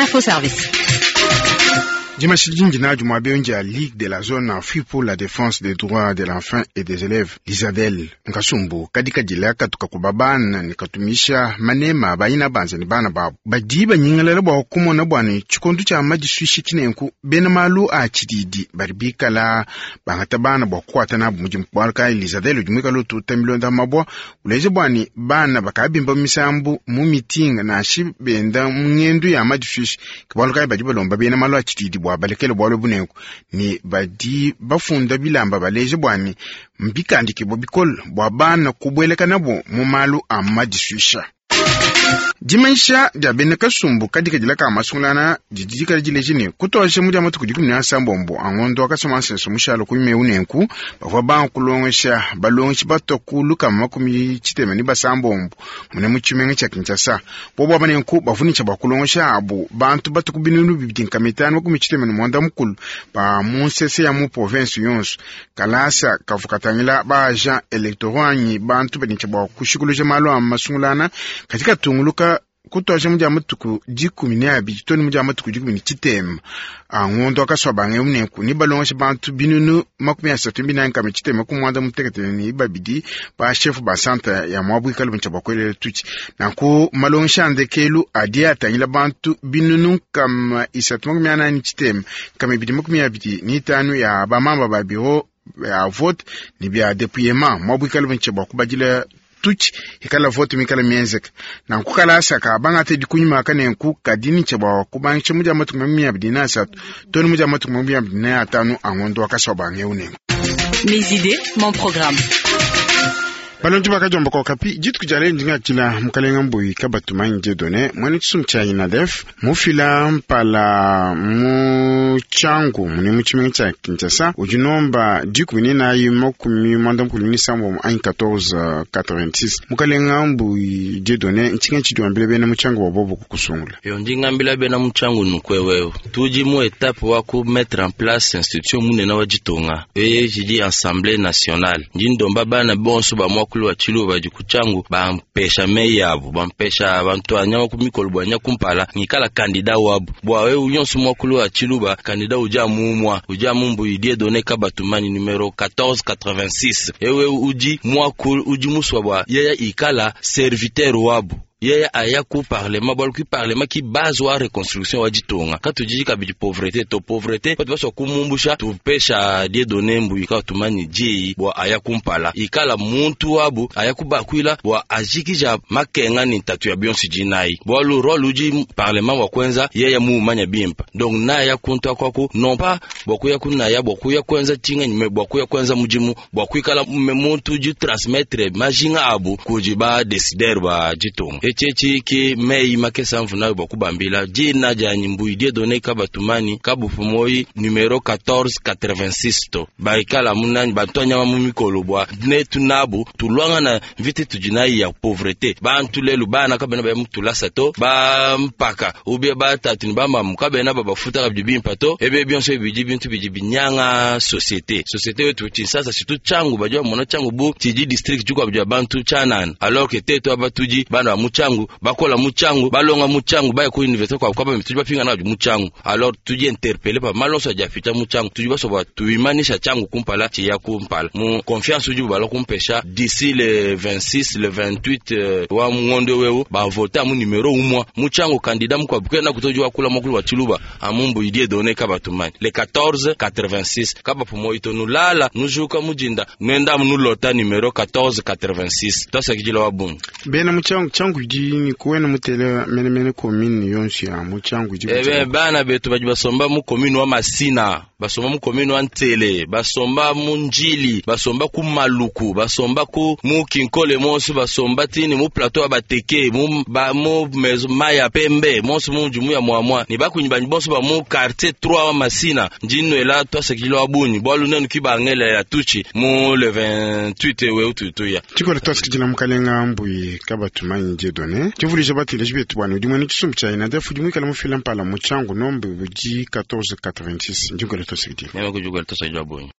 Info Service. Dimanche dindi nadi muaba eu ndia Ligue de la zone Afrique pour la défense des droits de l'enfant et des élèves Lizadel nkasumbu kadi kadila katuka kuba bana ne katumisha manema bayina banza ne bana babu badi banyingalala bua kumona bua ne tshikondo tshia madisuishi tshinenku bena malu a tshididi badi bikala bangata bana bua kukuata nabu mudimu. Bualu kayi Lizadel udi muikala ututa milonda mabua uleja bua ne bana bakabimba misambu mu mitinga nansha benda mu ngendu ya madisuishi. Ke bualu kayi badi balomba bena malu a tshididi bua balekele bualu bunenku ne badi bafunda bilamba baleja bua ne mbikandikibua bikole bua bana kubuelekanabu mu malu a madisuisha. Dimanyisha dia bena kasumbu kadikadila ka masungulana didi dikala dileja ne kutuadija mu dia matuku 17 a ngondo wa Kasamansenso mushale ku meu nenku bavua banga kulongesha balongeshi batua ku 66 mune mu tshimenga tshia Kinshasa. Bobu aba nenku bavunisha bua kulongesha abu bantu batua ku 2560 ba mu nsese ya mu province yonso. Kalasa kavua katangila ba agent électoraux anyi bantu badi bua kushikuluja malu a masungulana kadi katunguluka kutuadija mu dia matuku 12 to ne mu dia matuku 13 a ngondo wa Kasuabanga eu nenku ne balongesha bantu 34692 ba chef ba centre ya muabuikalo bintshia bua kuelela tutshi. Nanku malongesha a ndekelu adi atangila bantu 3445 ya bamamba ba bureau ya vote ne bia dépouillement muabuikalo bintshia bua kubadila tutshi ikala vote mikala mienzeka. Nanku kalasa ka bangata dikunyima kanenku kadi nitsha bua kubangisha mu dia matuku 23 to ne mu dia matuku 25 a ngondo wa Kasuabanga eu nenku. Mes idées, mon programme. Balongi bakajomba kwa kapi dituku dia lelo ndingatshila mukalenga Mbuyi Kabatumanyi Dieudonné muena tshisumbu tshia INADEF mufila mpala mu Tshangu mune mu tshimenga tshia Kinshasa udi nomba 14 96 anyi 1486. Mukalenga Mbuyi Dieudonné ntshinga tshidi wambila bena mu Tshangu bua bobu kukusungula. Yo ndingambila bena mu Tshangu nukwewewe tudi mu etape wa ku mettre en place institution munene wa ditunga eye jidi Assemblée nationale. Ndi ndomba bana bonso ba mwakulu wa Tshiluba badi ku Tshangu bampesha meyi abu, bampesha bantu anyama ku mikolo bua nya kumpala ngikala kandida wabu bua wewe nyonso mwakulu wa Tshiluba kandida udi amumwa udi amumbu Dieudonné Kabatumani numero 1486 ewe udi mwakulu udi muswa bua yeye ikala serviteur wabu yeye aya ku parlement bua ku parlement ki base wa reconstruction wa ditunga katujiji kabidi pauvreté to pauvreté batu baswa kumumbusha tupesha Dieudonné Mbuyi Kabatumani diyi bua aya kumpala ikala muntu wabu aya kubakwila bua ajikija makenga ni ntatu ya bionso dinayi bualu rôle udi parlement wa kwenza yeye muumanya bimpa donc naya kuntu akwaku non pas bua kuya kunaya bua kuya kwenza tinga nyime bua kuya kwenza mudimu bua kuikala muntu udi transmettre majinga abu kudi ba décideur ba ditunga etshetshi ki meyi makesa mvuna bua kubambila dina dianyi Mbuyi Dieudonné Kabatumani kabupu moyi numero 1486 to baikala munani bantu anyama mu mikolo bua netu nabu tulwangana mvita tudi nayi ya pauvreté bantu lelu bana kabena baya mutulasa to bampaka ubie batatu ni bamamu kabena babafuta kabidi bimpa to ebe bionso bidi bintu bidi binyanga société société wetu Kinshasa surtout Tshangu badi bamona Tshangu bu tshidi district dikuabu dia bantu tshanana alors que tetu aba tudi bana ba mu Tshangu bakola mu Tshangu balonga mu Tshangu baya ku université kwa kwaba tudi bapingana badi mu Tshangu alors tudi interpellé pa malonso adi afita mu Tshangu tudi basoba tuimanisha Tshangu kumpala tshiya kumpala mu confiance udi bala kumpesha d'ici le 26 le 28 wa ngondo wewu bavota mu numero umwa mu Tshangu candidat mukwabu kena kutoji wakula mokulu wa Tshiluba amumbu Dieudonné Kabatumani le 14 86 kabapu moito nulala nujuka mujinda nwenda nulota numero 14 86 tosakijila wa bungi. Bena mu Tshangu Tshangu idi ni kuwena mutele mene mene commune yonso ya mu Tshangu idi ebe bana betu badi basomba mu commune wa Masina basomba mu commune wa Ntele basomba mu Njili basomba ku Maluku basomba ku mu Kinkole monso basomba tini mu plateau ya Bateke mu ba mu mezo maya pembe monso mu jumu ya mwamwa ni bakunyi banyi bonso ba mu quartier 3 wa Masina ndinwela twasakijila wa bunyi bwalu nenu kibangela ya tuchi mu le 28 we ututuya. Tshikola twasakijila mukalenga Mbuyi Kabatumani Dieudonné tshivuluija bateleji betu bwana udi mwene tshisumbu tshia INADEF udi muikala mufila mpala mu Tshangu nombe budi 1486 ndinkola twasakidila. Meme kujugala twasakijila bunyi.